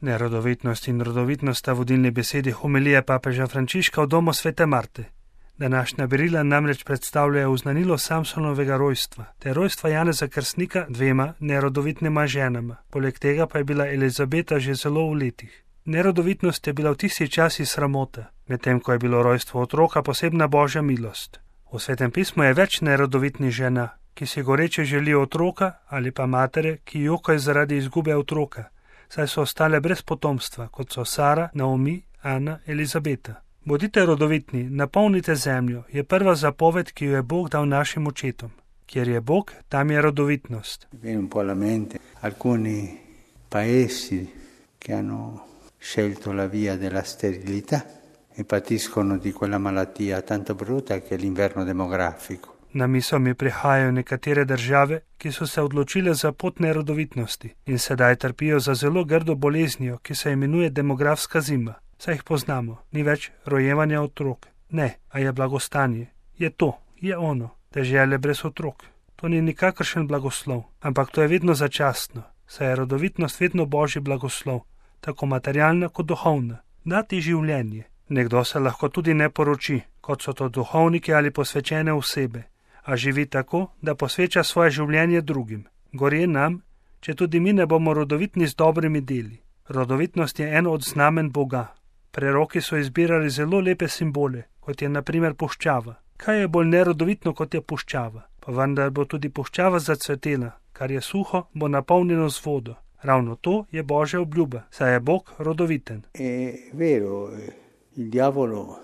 Nerodovitnost in rodovitnost sta vodilni besedi homilije papeža Frančiška v domu svete Marte. Današnja berila namreč predstavljajo oznanilo Samsonovega rojstva, ter rojstva Janeza Krstnika dvema nerodovitnima ženama. Poleg tega pa je bila Elizabeta že zelo v letih. Nerodovitnost je bila v tisti časi sramota, medtem ko je bilo rojstvo otroka posebna božja milost. V Svetem pismu je več nerodovitnih žena, ki si goreče želijo otroka, ali pa matere, ki jokajo zaradi izgube otroka, saj so ostale brez potomstva, kot so Sara, Naomi, Ana, Elizabeta. Bodite rodovitni, napolnite zemljo, je prva zapoved, ki jo je Bog dal našim očetom. Kjer je Bog, tam je rodovitnost. Viene un po' alla mente alcuni paesi che hanno scelto la via della sterilità e patiscono di quella malattia tanto brutta che è l'inverno demografico. Na misel mi prihajajo nekatere države, ki so se odločile za pot nerodovitnosti in sedaj trpijo za zelo grdo boleznijo, ki se imenuje demografska zima. Saj jih poznamo, ni več rojevanja otrok. Ne, a je blagostanje. Je to, je ono, dežele brez otrok. To ni nikakršen blagoslov, ampak to je vedno začasno, saj je rodovitnost vedno božji blagoslov, tako materialna kot duhovna. Dati življenje. Nekdo se lahko tudi ne poroči, kot so to duhovniki ali posvečene osebe, a živi tako, da posveča svoje življenje drugim. Gorje nam, če tudi mi ne bomo rodovitni z dobrimi deli. Rodovitnost je eno od znamen Boga. Preroki so izbirali zelo lepe simbole, kot je na primer puščava. Kaj je bolj nerodovitno, kot je puščava? Pa vendar bo tudi puščava zacvetela, kar je suho, bo napolnjeno z vodo. Ravno to je božja obljuba, saj je Bog rodoviten. Il diavolo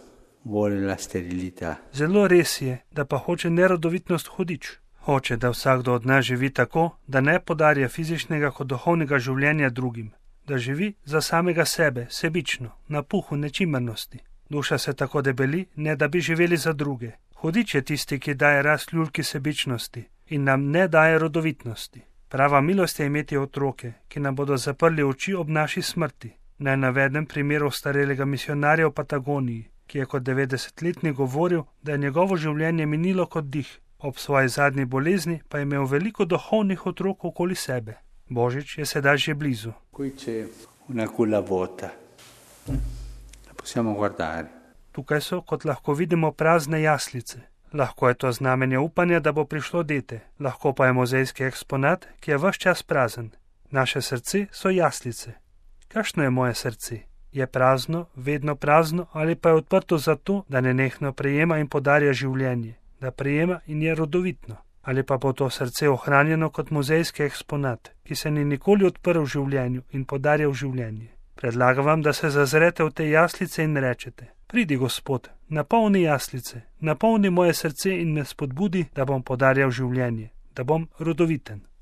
vuole la sterilità. Zelo res je, da pa hoče nerodovitnost hudič. Hoče, da vsakdo od nas živi tako, da ne podarja fizičnega kot duhovnega življenja drugim. Da živi za samega sebe, sebično, na puhu nečimrnosti. Duša se tako debeli, ne da bi živeli za druge. Hudič je tisti, ki daje rast ljulki sebičnosti in nam ne daje rodovitnosti. Prava milost je imeti otroke, ki nam bodo zaprli oči ob naši smrti. Naj navedem primer starelega misionarja v Patagoniji, ki je kot 90-letnik govoril, da je njegovo življenje minilo kot dih. Ob svoji zadnji bolezni pa je imel veliko duhovnih otrok okoli sebe. Božič je sedaj že blizu. Qui c'è una culla vuota. La possiamo guardare. Tukaj so, kot lahko vidimo, prazne jaslice. Lahko je to znamenje upanja, da bo prišlo dete. Lahko pa je muzejski eksponat, ki je ves čas prazen. Naše srce so jaslice. Kakšno je moje srce? Je prazno, vedno prazno, ali pa je odprto zato, da nenehno prejema in podarja življenje, da prejema in je rodovitno? Ali pa bo to srce ohranjeno kot muzejski eksponat, ki se ni nikoli odprl v življenju in podarjal življenje? Predlagam vam, da se zazrete v te jaslice in rečete: Pridi, Gospod, napolni jaslice, napolni moje srce in me spodbudi, da bom podarjal življenje, da bom rodoviten.